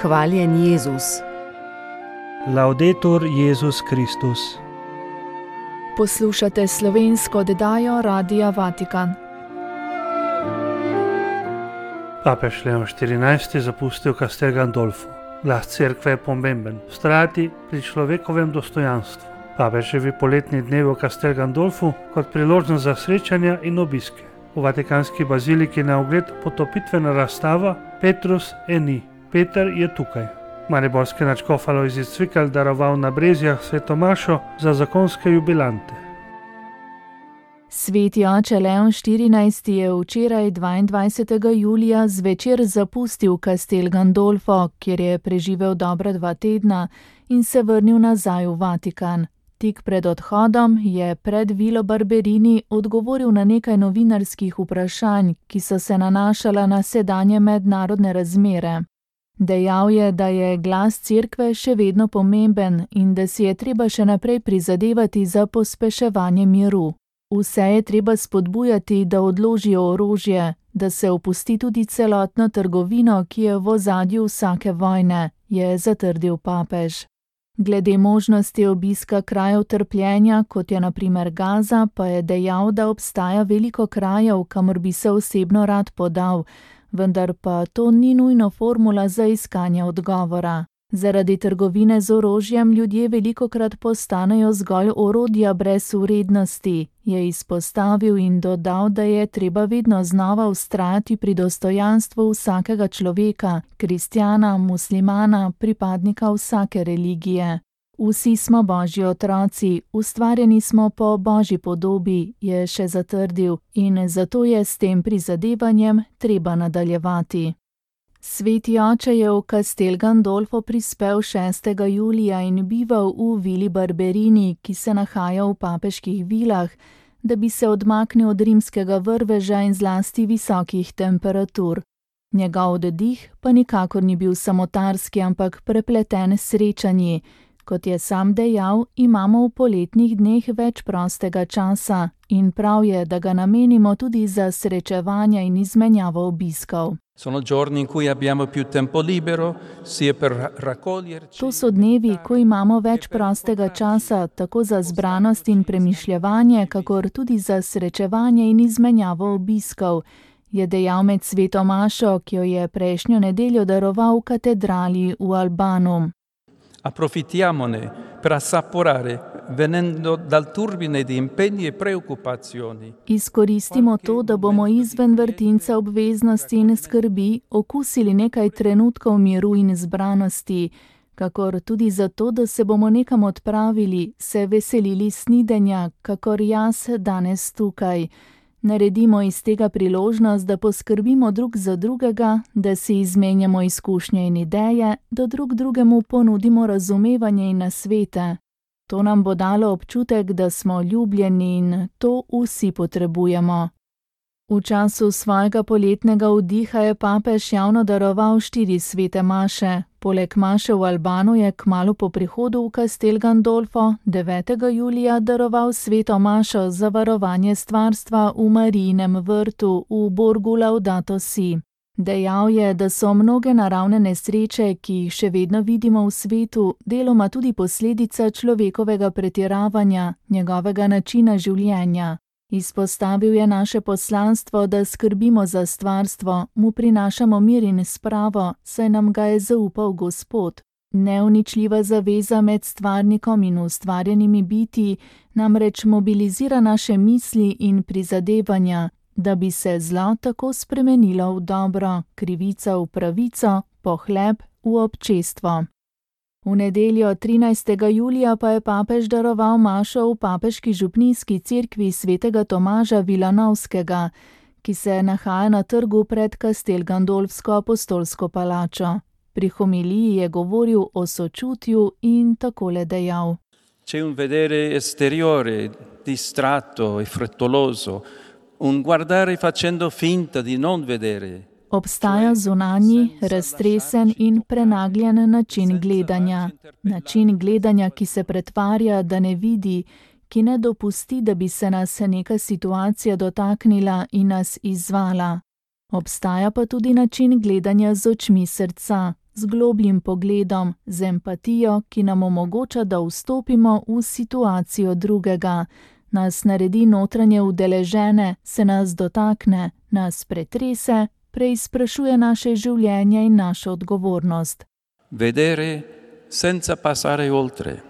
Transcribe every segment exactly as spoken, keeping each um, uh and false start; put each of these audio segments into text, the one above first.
Hvaljen Jezus. Laudetur Jezus Kristus. Poslušate slovensko oddajo Radia Vatikan. Papež Leon štirinajsti zapustil Castel Gandolfo. Glas cerkve je pomemben. Vztrajati pri človekovem dostojanstvu. Papeževi poletni dnevi v Castel Gandolfu kot priložnost za srečanja in obiske. V vatikanski baziliki na ogled potopitvena razstava Petrus eni. Peter je tukaj. Mariborski nadškof Alojzij Cvikl daroval na Brezjah svetomašo za zakonske jubilante. Sveti oče Leon štirinajsti je včeraj dvaindvajsetega julija zvečer zapustil Castel Gandolfo, kjer je preživel dobra dva tedna in se vrnil nazaj v Vatikan. Tik pred odhodom je pred Vilo Barberini odgovoril na nekaj novinarskih vprašanj, ki so se nanašala na sedanje mednarodne razmere. Dejal je, da je glas cerkve še vedno pomemben in da si je treba še naprej prizadevati za pospeševanje miru. Vse je treba spodbujati, da odložijo orožje, da se opusti tudi celotno trgovino, ki je v ozadju vsake vojne, je zatrdil papež. Glede možnosti obiska krajev trpljenja, kot je na primer Gaza, pa je dejal, da obstaja veliko krajev, kamor bi se osebno rad podal, vendar pa to ni nujno formula za iskanje odgovora. Zaradi trgovine z orožjem ljudje velikokrat postanejo zgolj orodja brez vrednosti, je izpostavil in dodal, da je treba vedno znova vztrajati pri dostojanstvu vsakega človeka, kristjana, muslimana, pripadnika vsake religije. Vsi smo Božji otroci, ustvarjeni smo po Božji podobi, je še zatrdil, in zato je s tem prizadevanjem treba nadaljevati. Sveti oče je v Castel Gandolfo prispel šestega julija in bival v Vili Barberini, ki se nahaja v papeških vilah, da bi se odmaknil od rimskega vrveža in zlasti visokih temperatur. Njegov oddih pa nikakor ni bil samotarski, ampak prepleten s srečanji. Kot je sam dejal, imamo v poletnih dneh več prostega časa in prav je, da ga namenimo tudi za srečevanja in izmenjavo obiskov. Sono giorni in cui abbiamo più tempo libero, sia per raccoglierci. To so dnevi, ko imamo več prostega časa, tako za zbranost in premišljevanje, kakor tudi za srečevanje in izmenjavo obiskov, je dejal med sveto mašo, ki jo je prejšnjo nedeljo daroval v katedrali v Albanu. Approfittiamone per assaporare, venendo dal turbine di impegni e preoccupazioni. Izkoristimo to, da bomo izven vrtinca obveznosti in skrbi okusili nekaj trenutkov miru in zbranosti, kakor tudi zato, da se bomo nekam odpravili, se veselili snidenja, kakor jaz danes tukaj. Naredimo iz tega priložnost, da poskrbimo drug za drugega, da si izmenjamo izkušnje in ideje, da drug drugemu ponudimo razumevanje in nasvete. To nam bo dalo občutek, da smo ljubljeni in to vsi potrebujemo. V času svojega poletnega vdiha je papež javno daroval štiri svete maše. Poleg maše v Albanu je kmalu po prihodu v Castel Gandolfo devetega julija daroval sveto mašo za varovanje stvarstva v Marijinem vrtu v Borgu Laudato Si. Dejal je, da so mnoge naravne nesreče, ki jih še vedno vidimo v svetu, deloma tudi posledica človekovega pretiravanja, njegovega načina življenja. Izpostavil je naše poslanstvo, da skrbimo za stvarstvo, mu prinašamo mir in spravo, saj nam ga je zaupal Gospod. Neuničljiva zaveza med stvarnikom in ustvarjenimi biti namreč mobilizira naše misli in prizadevanja, da bi se zlo tako spremenilo v dobro, krivica v pravico, pohleb v občestvo. V nedeljo trinajstega julija pa je papež daroval mašo v papeški župnijski cerkvi svetega Tomaža Vilanovskega, ki se nahaja na trgu pred Castel Gandolfsko apostolsko palačo. Pri homiliji je govoril o sočutju in takole dejal. C'è un vedere esteriore, distratto e frettoloso, un guardare facendo finta di non vedere. Obstaja zunanji, raztresen in prenagljen način gledanja. Način gledanja, ki se pretvarja, da ne vidi, ki ne dopusti, da bi se nas neka situacija dotaknila in nas izzvala. Obstaja pa tudi način gledanja z očmi srca, z globljim pogledom, z empatijo, ki nam omogoča, da vstopimo v situacijo drugega, nas naredi notranje udeležene, se nas dotakne, nas pretrese, preizprašuje naše življenje in našo odgovornost. Vedere senza passare oltre.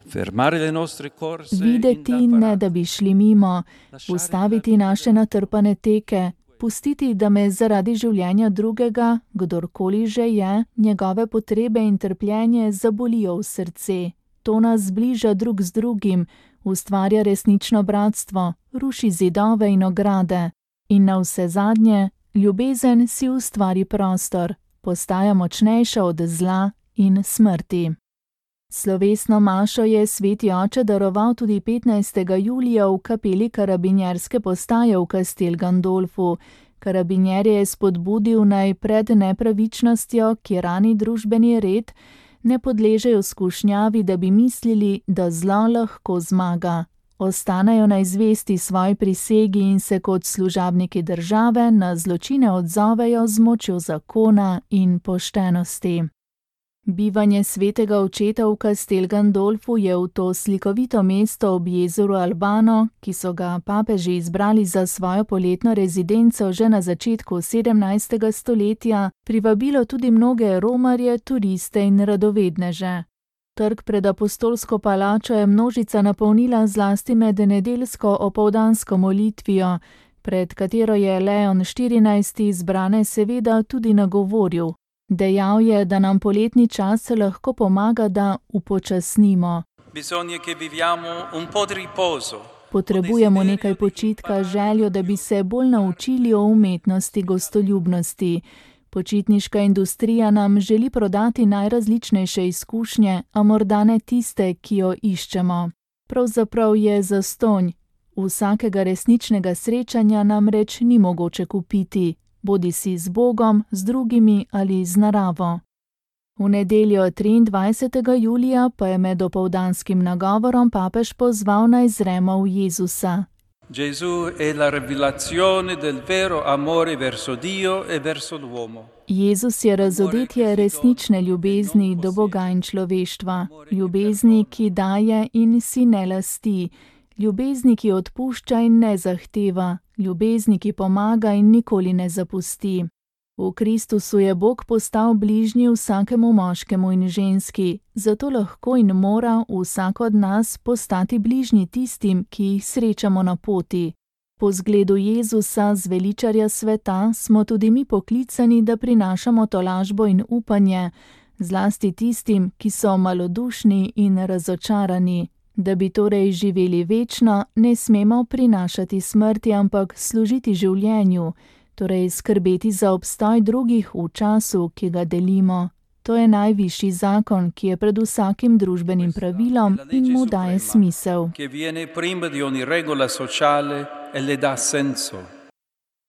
Fermare le nostre corse. Videti, ne da bi šli mimo, ustaviti naše natrpane teke, pustiti, da me zaradi življenja drugega, kdorkoli že je, njegove potrebe in trpljenje zabolijo v srce. To nas zbliža drug z drugim, ustvarja resnično bratstvo, ruši zidove in ograde. In navsezadnje, ljubezen si ustvari prostor, postaja močnejša od zla in smrti. Slovesno mašo je sveti oče daroval tudi petnajstega julija v kapeli karabinjerske postaje v Castel Gandolfu. Karabinjerje je spodbudil naj pred nepravičnostjo, ki rani družbeni red, ne podležejo skušnjavi, da bi mislili, da zlo lahko zmaga. Ostanejo naj zvesti svoji prisegi in se kot služabniki države na zločine odzovejo z močjo zakona in poštenosti. Bivanje svetega očeta v Castel Gandolfu je v to slikovito mesto ob jezeru Albano, ki so ga papeži izbrali za svojo poletno rezidenco že na začetku sedemnajstega stoletja, privabilo tudi mnoge romarje, turiste in radovedneže. Trg pred apostolsko palačo je množica napolnila zlasti med nedeljsko opoldansko molitvijo, pred katero je Leon štirinajsti zbrane seveda tudi nagovoril. Dejal je, da nam poletni čas lahko pomaga, da upočasnimo. Potrebujemo nekaj počitka, željo, da bi se bolj naučili o umetnosti gostoljubnosti. Počitniška industrija nam želi prodati najrazličnejše izkušnje, a morda ne tiste, ki jo iščemo. Pravzaprav je zastonj. Vsakega resničnega srečanja namreč ni mogoče kupiti. Bodi si z Bogom, z drugimi ali z naravo. V nedeljo triindvajsetega julija pa je med opoldanskim nagovorom papež pozval naj zremo v Jezusa. Jezus je razodetje resnične ljubezni do Boga in človeštva, ljubezni, ki daje in si ne lasti, ljubezni, ki odpušča in ne zahteva, ljubezni, ki pomaga in nikoli ne zapusti. V Kristusu je Bog postal bližnji vsakemu moškemu in ženski, zato lahko in mora vsak od nas postati bližnji tistim, ki jih srečamo na poti. Po zgledu Jezusa, zveličarja sveta, smo tudi mi poklicani, da prinašamo tolažbo in upanje, zlasti tistim, ki so malodušni in razočarani. Da bi torej živeli večno, ne smemo prinašati smrti, ampak služiti življenju, torej skrbeti za obstoj drugih v času, ki ga delimo. To je najvišji zakon, ki je pred vsakim družbenim pravilom in mu daje smisel.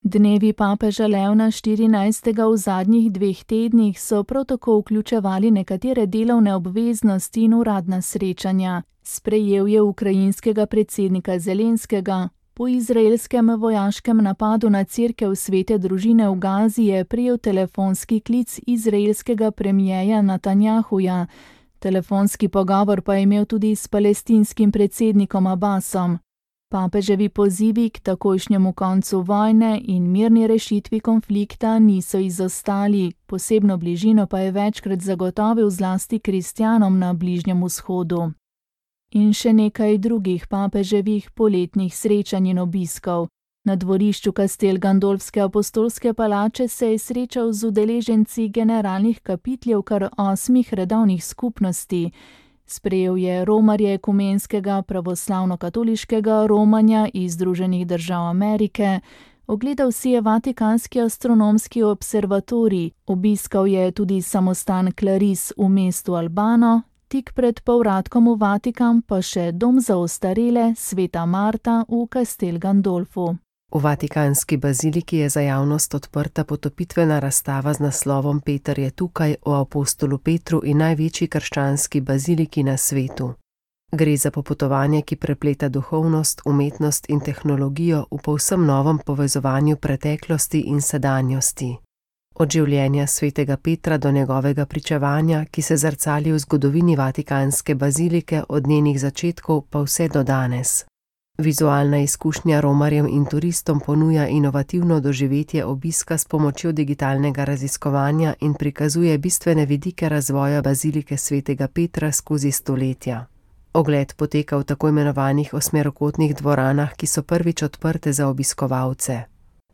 Dnevi papeža Leona štirinajstega v zadnjih dveh tednih so prav tako vključevali nekatere delovne obveznosti in uradna srečanja. Sprejel je ukrajinskega predsednika Zelenskega. Po izraelskem vojaškem napadu na cerkev Svete družine v Gazi je prejel telefonski klic izraelskega premijeja Netanjahuja. Telefonski pogovor pa je imel tudi s palestinskim predsednikom Abbasom. Papeževi pozivi k takojšnjemu koncu vojne in mirni rešitvi konflikta niso izostali, posebno bližino pa je večkrat zagotovil zlasti kristjanom na Bližnjem vzhodu. In še nekaj drugih papeževih poletnih srečanj in obiskov. Na dvorišču Castel Gandolfske apostolske palače se je srečal z udeleženci generalnih kapitljev kar osmih redovnih skupnosti. Sprejel je romarje ekumenskega pravoslavno-katoliškega romanja iz Združenih držav Amerike, ogledal si je Vatikanski astronomski observatorij, obiskal je tudi samostan Claris v mestu Albano, tik pred povratkom v Vatikan pa še dom za ostarele Sveta Marta v Castel Gandolfu. V Vatikanski baziliki je za javnost odprta potopitvena razstava z naslovom Peter je tukaj o apostolu Petru in največji krščanski baziliki na svetu. Gre za popotovanje, ki prepleta duhovnost, umetnost in tehnologijo v povsem novem povezovanju preteklosti in sedanjosti. Od življenja svetega Petra do njegovega pričevanja, ki se zrcali v zgodovini Vatikanske bazilike od njenih začetkov pa vse do danes. Vizualna izkušnja romarjem in turistom ponuja inovativno doživetje obiska s pomočjo digitalnega raziskovanja in prikazuje bistvene vidike razvoja bazilike svetega Petra skozi stoletja. Ogled poteka v tako imenovanih osmerokotnih dvoranah, ki so prvič odprte za obiskovalce.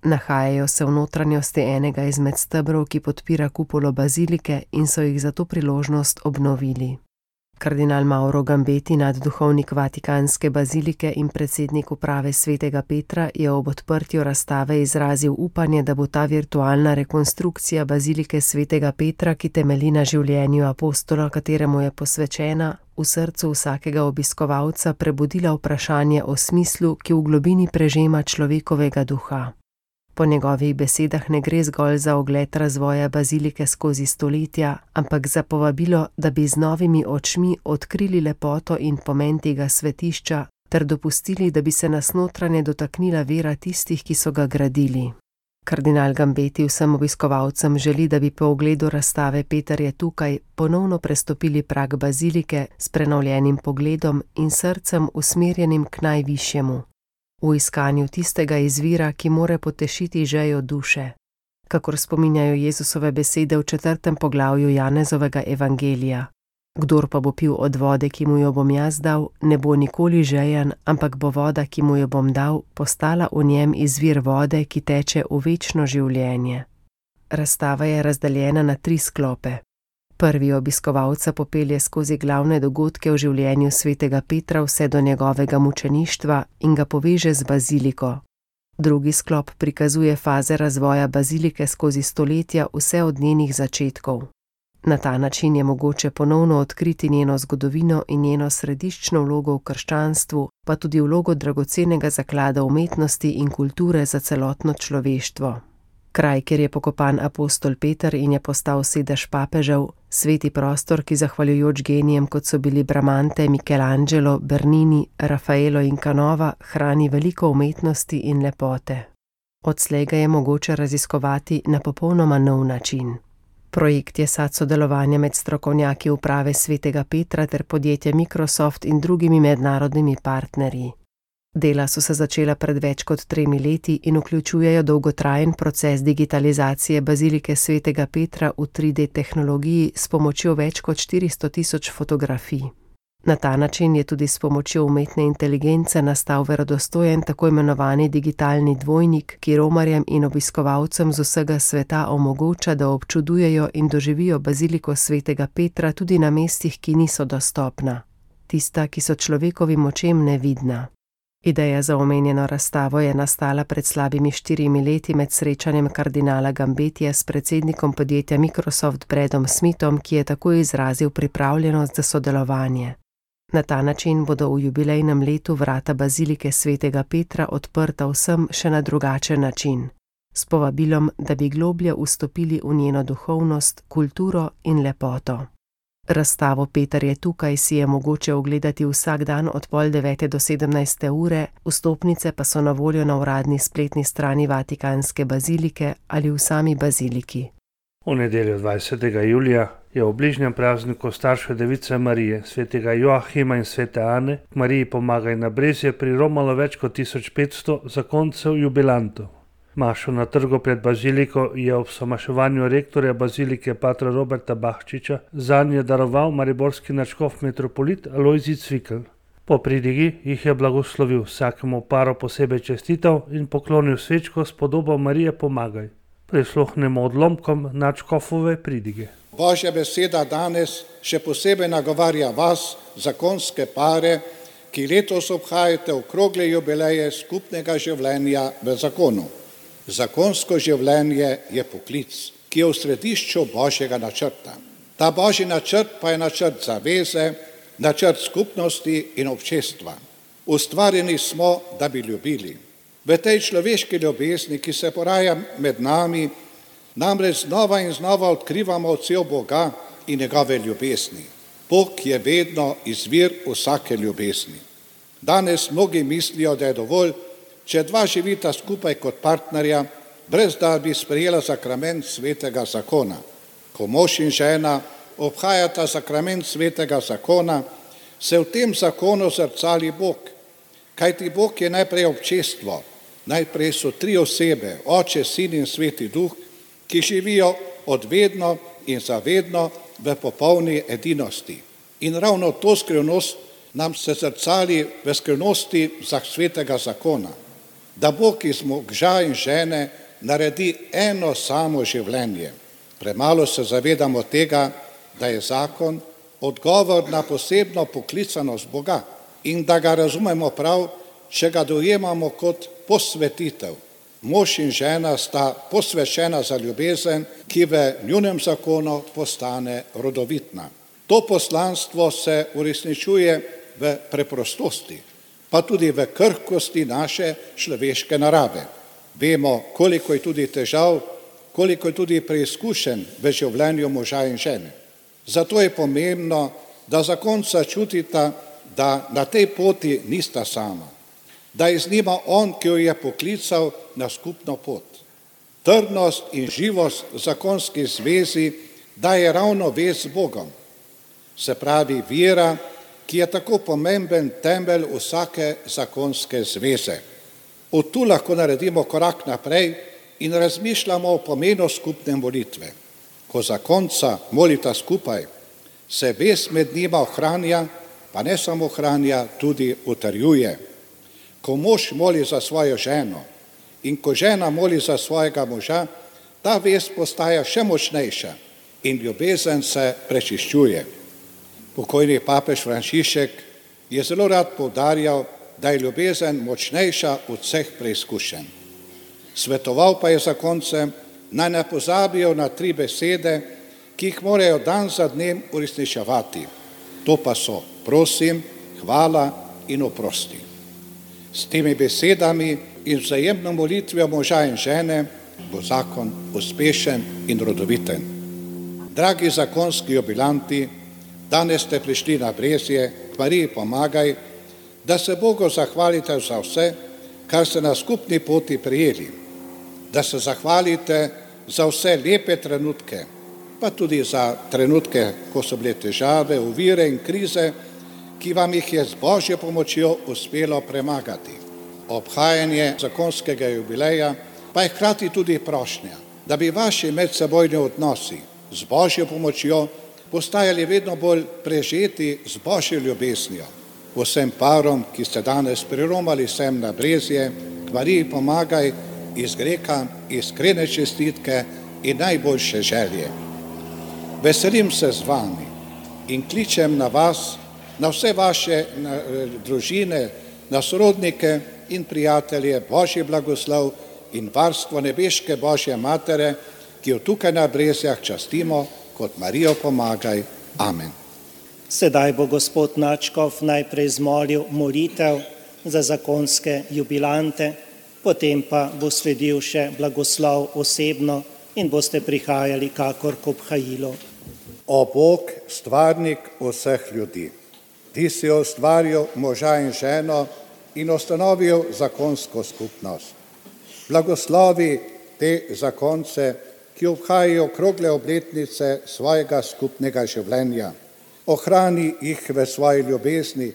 Nahajajo se v notranjosti enega izmed stebrov, ki podpira kupolo bazilike in so jih za to priložnost obnovili. Kardinal Mauro Gambeti, nadduhovnik Vatikanske bazilike in predsednik uprave svetega Petra, je ob odprtju razstave izrazil upanje, da bo ta virtualna rekonstrukcija bazilike svetega Petra, ki temelji na življenju apostola, kateremu je posvečena, v srcu vsakega obiskovalca prebudila vprašanje o smislu, ki v globini prežema človekovega duha. Po njegovih besedah ne gre zgolj za ogled razvoja bazilike skozi stoletja, ampak za povabilo, da bi z novimi očmi odkrili lepoto in pomen tega svetišča ter dopustili, da bi se nas notranje dotaknila vera tistih, ki so ga gradili. Kardinal Gambeti vsem obiskovalcem želi, da bi po ogledu razstave Peter je tukaj ponovno prestopili prag bazilike s prenovljenim pogledom in srcem usmerjenim k najvišjemu. V iskanju tistega izvira, ki more potešiti žejo duše. Kakor spominjajo Jezusove besede v četrtem poglavju Janezovega evangelija. Kdor pa bo pil od vode, ki mu jo bom jaz dal, ne bo nikoli žejen, ampak bo voda, ki mu jo bom dal, postala v njem izvir vode, ki teče v večno življenje. Razstava je razdeljena na tri sklope. Prvi obiskovalca popelje skozi glavne dogodke v življenju svetega Petra vse do njegovega mučeništva in ga poveže z baziliko. Drugi sklop prikazuje faze razvoja bazilike skozi stoletja vse od njenih začetkov. Na ta način je mogoče ponovno odkriti njeno zgodovino in njeno središčno vlogo v krščanstvu, pa tudi vlogo dragocenega zaklada umetnosti in kulture za celotno človeštvo. Kraj, kjer je pokopan apostol Peter in je postal sedež papežev, sveti prostor, ki zahvaljujoč genijem, kot so bili Bramante, Michelangelo, Bernini, Raffaello in Canova, hrani veliko umetnosti in lepote. Odslej ga je mogoče raziskovati na popolnoma nov način. Projekt je sad sodelovanja med strokovnjaki uprave svetega Petra ter podjetja Microsoft in drugimi mednarodnimi partnerji. Dela so se začela pred več kot tremi leti in vključujejo dolgotrajen proces digitalizacije bazilike svetega Petra v tri D tehnologiji s pomočjo več kot štiristo tisoč fotografij. Na ta način je tudi s pomočjo umetne inteligence nastal verodostojen tako imenovani digitalni dvojnik, ki romarjem in obiskovalcem z vsega sveta omogoča, da občudujejo in doživijo baziliko svetega Petra tudi na mestih, ki niso dostopna. Tista, ki so človekovim očem nevidna. Ideja za omenjeno razstavo je nastala pred slabimi štirimi leti med srečanjem kardinala Gambetija s predsednikom podjetja Microsoft Bradom Smithom, ki je tako izrazil pripravljenost za sodelovanje. Na ta način bodo v jubilejnem letu vrata bazilike svetega Petra odprta vsem še na drugačen način, s povabilom, da bi globlje vstopili v njeno duhovnost, kulturo in lepoto. Razstavo Peter je tukaj si je mogoče ogledati vsak dan od pol devete do sedemnajste ure, vstopnice pa so na voljo na uradni spletni strani Vatikanske bazilike ali v sami baziliki. V nedeljo dvajsetega julija je v bližnjem prazniku starše device Marije, svetega Joahima in svete Ane, k Mariji pomagaj na Brezje priromalo več kot tisoč petsto zakoncev jubilantov. Mašo na trgu pred baziliko je ob somaševanju rektorja bazilike patra Roberta Bahčiča zanje daroval mariborski nadškof metropolit Alojzij Cvikl. Po pridigi jih je blagoslovil, vsakemu paru posebej čestital in poklonil svečko s podobo Marije pomagaj. Prisluhnemo odlomkom nadškofove pridige. Božja beseda danes še posebej nagovarja vas, zakonske pare, ki letos obhajate okrogle jubileje skupnega življenja v zakonu. Zakonsko življenje je poklic, ki je v središču Božjega načrta. Ta Božji načrt pa je načrt zaveze, načrt skupnosti in občestva. Ustvarjeni smo, da bi ljubili. V tej človeški ljubezni, ki se poraja med nami, namreč znova in znova odkrivamo odsev Boga in njegove ljubezni. Bog je vedno izvir vsake ljubezni. Danes mnogi mislijo, da je dovolj, če dva živita skupaj kot partnerja, brez da bi sprejela sakrament svetega zakona. Ko mož in žena obhajata sakrament svetega zakona, se v tem zakonu zrcali Bog. Kajti Bog je najprej občestvo, najprej so tri osebe, Oče, Sin in Sveti Duh, ki živijo odvedno in zavedno v popolni edinosti. In ravno to skrivnost nam se zrcali v skrivnosti za svetega zakona, da Bog iz moža in žene naredi eno samo življenje. Premalo se zavedamo tega, da je zakon odgovor na posebno poklicanost Boga in da ga razumemo prav, če ga dojemamo kot posvetitev. Mož in žena sta posvečena za ljubezen, ki v njunem zakonu postane rodovitna. To poslanstvo se uresničuje v preprostosti, pa tudi v krhkosti naše človeške narave. Vemo, koliko je tudi težav, koliko je tudi preizkušenj v življenju moža in žene. Zato je pomembno, da zakonca čutita, da na tej poti nista sama, da je z njima on, ki jo je poklical na skupno pot. Trdnost in živost zakonski zvezi daje ravno vez z Bogom, se pravi vera, ki je tako pomemben temelj vsake zakonske zveze. Od tu lahko naredimo korak naprej in razmišljamo o pomenu skupne molitve. Ko zakonca molita skupaj, se vez med njima ohranja, pa ne samo ohranja, tudi utrjuje. Ko mož moli za svojo ženo in ko žena moli za svojega moža, ta vez postaja še močnejša in ljubezen se prečiščuje. Pokojni papež Frančišek je zelo rad poudarjal, da je ljubezen močnejša od vseh preizkušenj. Svetoval pa je zakoncem, naj ne pozabijo na tri besede, ki jih morajo dan za dnem uresničevati. To pa so prosim, hvala in oprosti. S temi besedami in vzajemno molitvijo moža in žene bo zakon uspešen in rodoviten. Dragi zakonski jubilanti, danes ste prišli na Brezje, k Mariji pomagaj, da se Bogu zahvalite za vse, kar ste na skupni poti prijeli, da se zahvalite za vse lepe trenutke, pa tudi za trenutke, ko so bile težave, ovire in krize, ki vam jih je z Božjo pomočjo uspelo premagati. Obhajanje zakonskega jubileja pa je hkrati tudi prošnja, da bi vaši medsebojni odnosi z Božjo pomočjo postajali vedno bolj prežeti z Božjo ljubeznijo. Vsem parom, ki ste danes priromali sem na Brezje, k Mariji pomagaj, izrekam iskrene čestitke in najboljše želje. Veselim se z vami in kličem na vas, na vse vaše na, družine, na sorodnike in prijatelje Božji blagoslov in varstvo nebeške Božje Matere, ki jo tukaj na Brezjah častimo kot Marijo pomagaj. Amen. Sedaj bo gospod nadškof najprej zmolil molitev za zakonske jubilante, potem pa bo sledil še blagoslov osebno in boste prihajali kakor k obhajilu. O Bog, stvarnik vseh ljudi, ti si ustvaril moža in ženo in ustanovil zakonsko skupnost. Blagoslovi te zakonce, ki obhajajo okrogle obletnice svojega skupnega življenja. Ohrani jih v svoji ljubezni,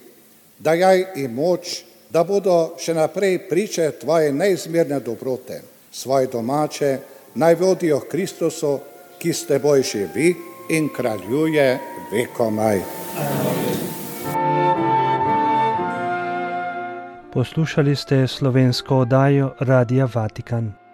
dajaj jim moč, da bodo še naprej priče tvoje neizmerne dobrote. Svoje domače naj vodijo k Kristusu, ki s teboj živi in kraljuje vekomaj. Poslušali ste slovensko oddajo Radia Vatikan.